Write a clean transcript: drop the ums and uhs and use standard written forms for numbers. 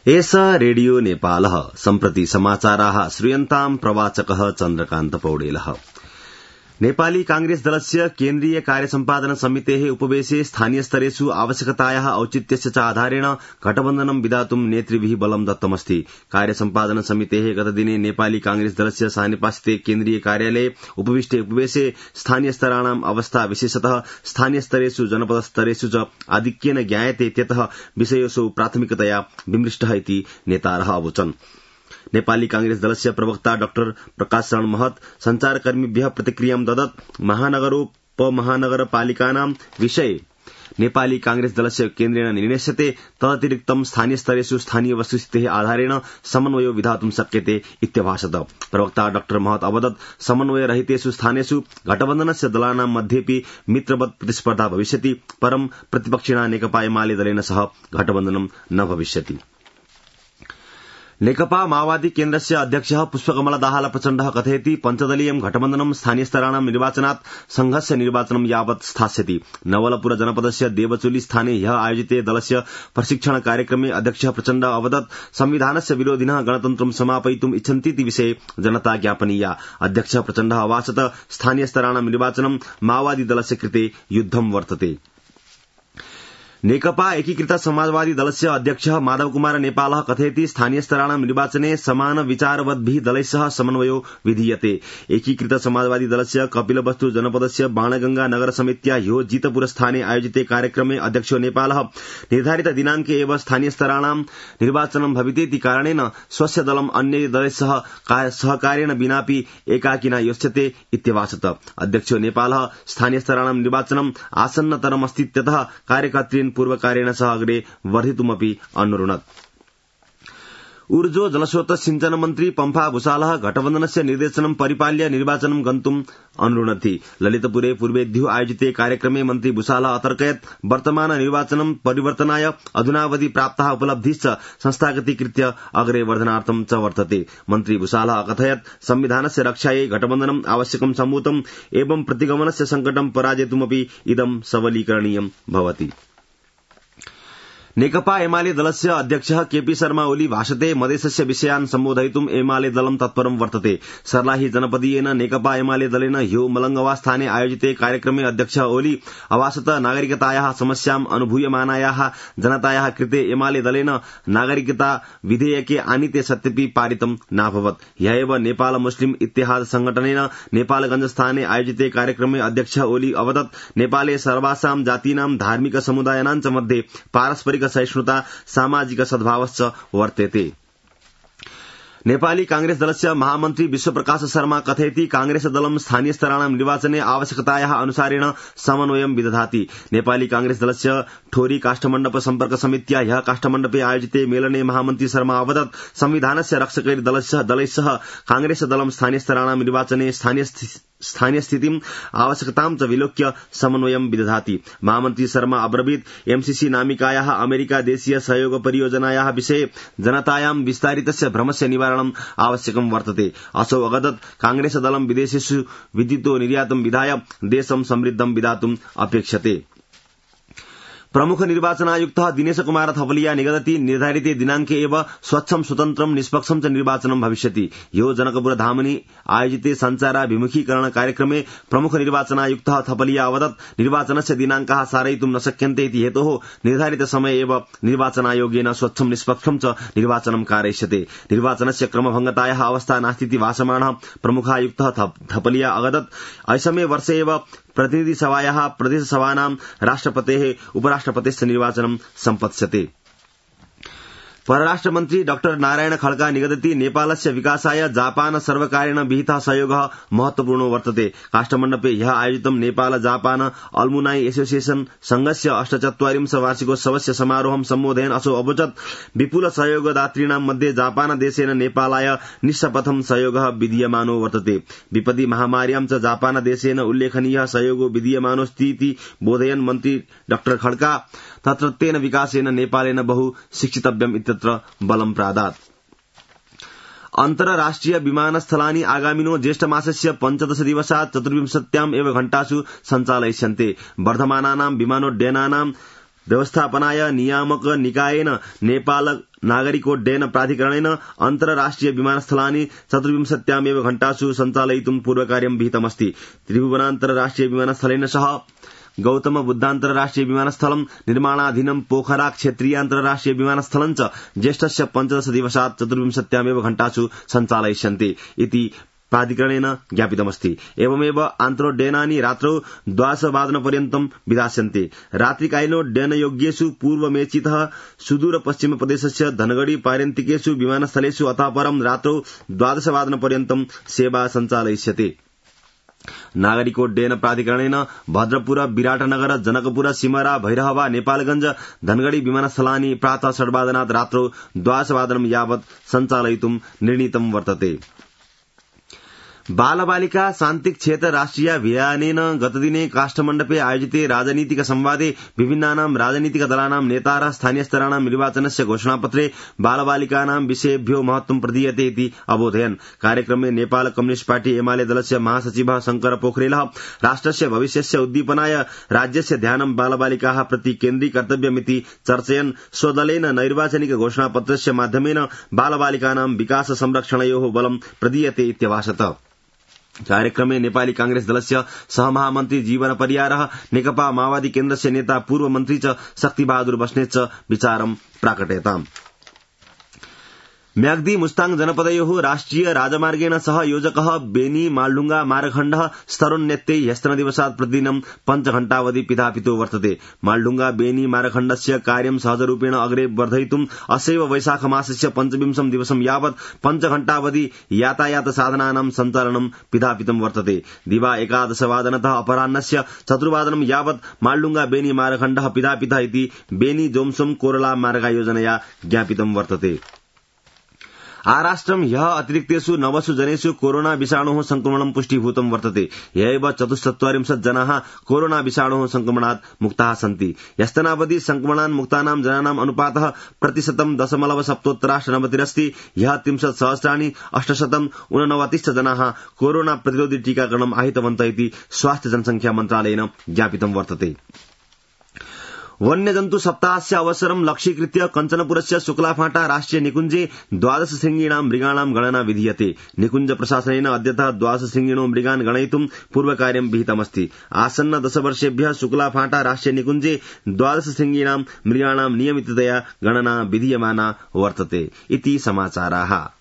एष रेडियो नेपालः सम्प्रति समाचाराः श्रूयन्ताम् प्रवाचकः चन्द्रकान्त पौडेलः। नेपाली कांग्रेस दलस्य केन्द्रीय कार्यसम्पादन समितेः उपवेशे स्थानीय स्तरेषु आवश्यकतायाः औचित्यस्य च आधारेण गठबन्धनं विधातुं नेतृभिः बलं दत्तमस्ति। कार्यसम्पादन समितेः गतदिने नेपाली कांग्रेस दलस्य सानेपास्थिते केन्द्रीय कार्यालये उपविष्टे उपवेशे स्थानीय स्तराणाम् अवस्था विशेषतः स्थानीय स्तरेषु जनपद स्तरेषु च आधिक्येन ज्ञायते इत्यतः विषयोऽसौ प्राथमिकतया विमृष्टः इति नेतारः अवोचन्। नेपाली कांग्रेस दलस्य प्रवक्ता डाक्टर प्रकाश शरण महत संचारकर्मीभ्यः प्रतिक्रियां ददत्। महानगरपालिकानां विषये नेपाली कांग्रेस दलस्य केन्द्रेण निर्णेष्यते, तदतिरिक्तं स्थानीय स्तरेषु स्थानीय वस्तुस्थितेः आधारेण समन्वयो विधातुं शक्यते इत्यभाषत। प्रवक्ता डाक्टर महत अवदत् समन्वय रहितेषु स्थानेषु गठबन्धनस्य दलानां मध्येपि मित्रवत् प्रतिस्पर्धा भविष्यति, परं प्रतिपक्षिणा नेकपा एमाले दलेन सह गठबन्धनं न भविष्यति। नेकपा माओवादी केन्द्रस्य अध्यक्षः पुष्पकमल दाहाल प्रचण्डः कथयति, पञ्चदलीयं गठबन्धनं स्थानीयस्तराणां निर्वाचनात् संघस्य निर्वाचनं यावत् स्थास्यति। नवलपुर जनपदस्य देवचुली स्थाने ह्यः आयोजिते दलस्य प्रशिक्षण कार्यक्रमे अध्यक्षः प्रचण्डः अवदत्, संविधानस्य विरोधिनः गणतन्त्रं समापयितुम् इच्छन्तीति विषये जनता ज्ञापनीया। अध्यक्षः प्रचण्डः अवाचत, स्थानीयस्तराणां निर्वाचनं माओवादी दलस्य कृते युद्धं वर्तते। नेकपा एकीकृत समाजवादी दलस्य अध्यक्षः माधव कुमार नेपालः कथयति, स्थानीयस्तराणां निर्वाचने समान विचारवद्भिः दलैः सह समन्वयो विधीयते। एकीकृत समाजवादी दलस्य कपिलवस्तु जनपदस्य बाणगंगा नगर समित्या ह्यो जितपुर स्थाने आयोजिते कार्यक्रमे अध्यक्षो नेपालः निर्धारित दिनांके एव स्थानीयस्तराणां निर्वाचनं भवितेति कारणेन स्वस्य दलम् अन्य दलैः सह सहकार्येण विनापि एकाकिना योच्यते इत्यभाषत। अध्यक्षो नेपालः स्थानीयस्तराणां निर्वाचनं आसन्नतरमस्तीत्यतः कार्यकर्तृन् पूर्वकार्येण सह अग्रे वर्धितुमपि अनुरुणत्। ऊर्जो जलस्रोत सिंचन मन्त्री पम्फा भूषालः गठबन्धनस्य निर्देशनं परिपाल्य निर्वाचनं गन्तुम् अनुरुणति। ललितपुरे पूर्वेद्यो आयोजिते कार्यक्रमे मन्त्री भूषालः अतर्कयत्, वर्तमान निर्वाचनं परिवर्तनाय अधुनावधि प्राप्ताः उपलब्धिश्च संस्थागतीकृत्य अग्रे वर्धनार्थं च वर्तते। मन्त्री भूषालः अकथयत्, संविधानस्य रक्षायै गठबन्धनम् आवश्यकं सम्भूतम् एवं प्रतिगमनस्य संकटं पराजेतुमपि इदं सबलीकरणीयं भवति। नेकपा एमाले दलस्य अध्यक्षः केपी शर्मा ओली भाषते, मधेशस्य विषयान् सम्बोधयितुम् एमाले दलं तत्परं वर्तते। सर्लाही जनपदीयेन नेकपा एमाले दलेन ह्यो मलंगवा स्थाने आयोजिते कार्यक्रमे अध्यक्षः ओली अवासत, नागरिकतायाः समस्याम् अनुभूयमानायाः जनतायाः कृते एमाले दलेन नागरिकता विधेयके आनीते सत्यपि पारितं नाभवत्। ह्यः एव नेपाल मुस्लिम इत्तेहाद संघटनेन नेपालगंज स्थाने आयोजिते कार्यक्रमे अध्यक्षः ओली अवदत्, नेपाले सर्वासां जातीनां धार्मिक समुदायानां च मध्ये पारस्परिक सहिष्णुता सामाजिक सद्भावश्च वर्तेते। नेपाली कांग्रेस दलस्य महामन्त्री विश्वप्रकाश शर्मा कथयति, कांग्रेस दलं स्थानीयस्तराणां निर्वाचने आवश्यकतायाः अनुसारेण समन्वयं विदधाति। नेपाली कांग्रेस दलस्य ठोरी काष्ठमण्डप सम्पर्क समित्या ह्यः काष्ठमण्डपे आयोजिते मेलने महामन्त्री शर्मा अवदत्, संविधानस्य रक्षकै दलैः सह कांग्रेस दलं स्थानीयस्तराणां निर्वाचने स्थानीय स्थितिम् आवश्यकतां च विलोक्य समन्वयं विदधाति। महामन्त्री शर्मा अब्रवीत्, एमसीसी नामिकायाः अमेरिका देशीय सहयोग परियोजनायाः विषये जनतायां विस्तारितस्य भ्रमस्य निवारणम् आवश्यकं वर्तते। असौ अवदत्, कांग्रेस दलं विदेशेषु विद्युतो निर्यातं विधाय देशं समृद्धं विधातुम् अपेक्षते। प्रमुख निर्वाचनायुक्तः दिनेश कुमार थपलिया निगदति, निर्धारिते दिनांके एव स्वच्छं स्वतन्त्रं निष्पक्षं च निर्वाचनं भविष्यति। ह्यो जनकपुर धामनि आयोजिते सञ्चाराभिमुखीकरण कार्यक्रमे प्रमुख निर्वाचनायुक्तः थपलिया अवदत्, निर्वाचनस्य दिनांकाः सारयितुं न शक्यन्ते इति हेतोः निर्धारित समये एव निर्वाचनायोगेन स्वच्छं निष्पक्षं च निर्वाचनं कारयिष्यते। निर्वाचनस्य क्रमभङ्गतायाः अवस्था नास्तीति भाषमाणः प्रमुखायुक्तः थपलिया अवदत्, ऐसमे वर्षे एव प्रतिनिधिसभायाः प्रदेशसभानां राष्ट्रपतेः उपराष्ट्रपतेश्च निर्वाचनं सम्पत्स्यते। परराष्ट्रमन्त्री डाक्टर नारायण खड्का निगदति, नेपालस्य विकासाय जापान सर्वकारेण विहितः सहयोगः महत्वपूर्णो वर्तते। काष्ठमण्डपे ह्यः आयोजितं नेपाल जापान अल्मुनाई एसोसिएशन संघस्य 48 वार्षिकोत्सवस्य समारोहं सम्बोधयन् असौ अवोचत्, विपुल सहयोगदातॄणां मध्ये जापान देशेन नेपालाय निःशपथं सहयोगः विधीयमानो वर्तते। विपदि महामार्यां च जापान देशेन उल्लेखनीयः सहयोगो विधीयमानोऽस्तीति बोधयन् मन्त्री डाक्टर खड्का, तत्रत्येन विकासेन नेपालेन बहु शिक्षितव्यम् इत्यत्र बलं प्रादात्। अन्तर्राष्ट्रिय विमानस्थलानि आगामिनो ज्येष्ठमासस्य 15 दिवसात् 24 एव घण्टासु सञ्चालयिष्यन्ते। वर्धमानानां विमानोड्डयनानां व्यवस्थापनाय नियामक निकायेन नेपाल नागरिकोड्डयन प्राधिकरणेन अन्तर्राष्ट्रिय विमानस्थलानि 24 घण्टासु सञ्चालयितुं पूर्वकार्यं विहितमस्ति। त्रिभुवनान्तर्राष्ट्रिय विमानस्थलेन सह गौतम बुद्धान्तर्राष्ट्रिय विमानस्थलं निर्माणाधीनं पोखरा क्षेत्रीयान्तर्राष्ट्रिय विमानस्थलं च ज्येष्ठस्य 15 दिवसात् 24 घण्टासु सञ्चालयिष्यन्ते इति प्राधिकरणेन ज्ञापितमस्ति। एवमेव आन्तरोड्डयनानि रात्रौ 12:00 विधास्यन्ते। रात्रिकालीनोड्डयनयोग्येषु पूर्वमेचितः सुदूरपश्चिमप्रदेशस्य धनगढ़ी पार्यन्तिकेषु विमानस्थलेषु अतः परं रात्रौ 12:00 सेवा सञ्चालयिष्यते। नागरिकोड्डयन प्राधिकरणेन भद्रपुर, विराटनगर, जनकपुर, सिमरा, भैरहवा, नेपालगंज, धनगढ़ी विमानस्थलानि प्रातः 8:00 रात्रौ 12:00 यावत् सञ्चालयितुं निर्णीतं वर्तते। बालबालिका शान्तिक क्षेत्र राष्ट्रियाभियानेन गतदिने काष्ठमण्डपे आयोजिते राजनीतिक संवादे विभिन्नानां राजनीतिक दलानां नेतारः स्थानीयस्तराणां निर्वाचनस्य घोषणापत्रे बालबालिकानां विषयेभ्यो महत्वं प्रदीयते इति अबोधयन्। कार्यक्रमे नेपाल कम्युनिस्ट पार्टी एमाले दलस्य महासचिवः शंकर पोखरेलः राष्ट्रस्य भविष्यस्य उद्दीपनाय राज्यस्य ध्यानं बालबालिकाः प्रति केन्द्रीकर्तव्यमिति चर्चयन् स्वदलेन नैर्वाचनिक घोषणापत्रस्य माध्यमेन बालबालिकानां विकास संरक्षणयोः बलं प्रदीयते इत्यभाषत। कार्यक्रमे नेपाली कांग्रेस दलस्य सहमहामन्त्री जीवन परियारः, नेकपा माओवादी केन्द्रस्य नेता पूर्व मन्त्री च शक्तिबहादुर बस्नेत च विचारं प्राकटयताम्। म्याग्दी मुस्ताङ जनपदयोः राष्ट्रिय राजमार्गेण सह योजकः बेनी मालढुंगा मार्गखण्डः स्तरोन्नत्यै ह्यस्तनदिवसात् प्रतिदिनं 5 घण्टावधि पिधापितो वर्तते। मालढुंगा बेनी मार्गखण्डस्य कार्यं सहजरूपेण अग्रे वर्धयितुं असैव वैशाखमासस्य 25 दिवसं यावत् 5 घण्टावधि यातायात साधनानां सञ्चालनं पिधापितं वर्तते। दिवा 11:00 अपराह्नस्य 4 यावत् मालढुंगा बेनी मार्गखण्डः पिधापितः इति बेनी जोमसोम कोरला मार्गयोजनया ज्ञापितं वर्तते। आराष्ट्रं ह्यः अतिरिक्तेषु 9 जनेषु कोरोना विषाणोः संक्रमणं पुष्टीभूतं वर्तते। ह्यैव 44 जनाः कोरोना विषाणोः संक्रमणात् मुक्ताः सन्ति। ह्यस्तनावधि संक्रमणान् मुक्तानां जनानाम् अनुपातः 0.7% अस्ति। ह्यः 30,829 जनाः कोरोना प्रतिरोधी टीकाकरणम् आहितवन्तः इति स्वास्थ्य जनसंख्या मन्त्रालयेन ज्ञापितं वर्तते। वन्यजन्तु सप्ताहस्य अवसरं लक्ष्यीकृत्य कञ्चनपुरस्य शुक्लाफाटा राष्ट्रिय निकुञ्जे 12 शृङ्गीणां मृगाणां गणना विधीयते। निकुञ्ज प्रशासनेन अद्यतः 12 शृङ्गीणो मृगान् गणयितुं पूर्वकार्यं विहितमस्ति। आसन्न 10 वर्षेभ्यः शुक्लाफाटा राष्ट्रिय निकुञ्जे 12 शृङ्गीणां मृगाणां नियमिततया गणना विधीयमाना वर्तते इति समाचाराः।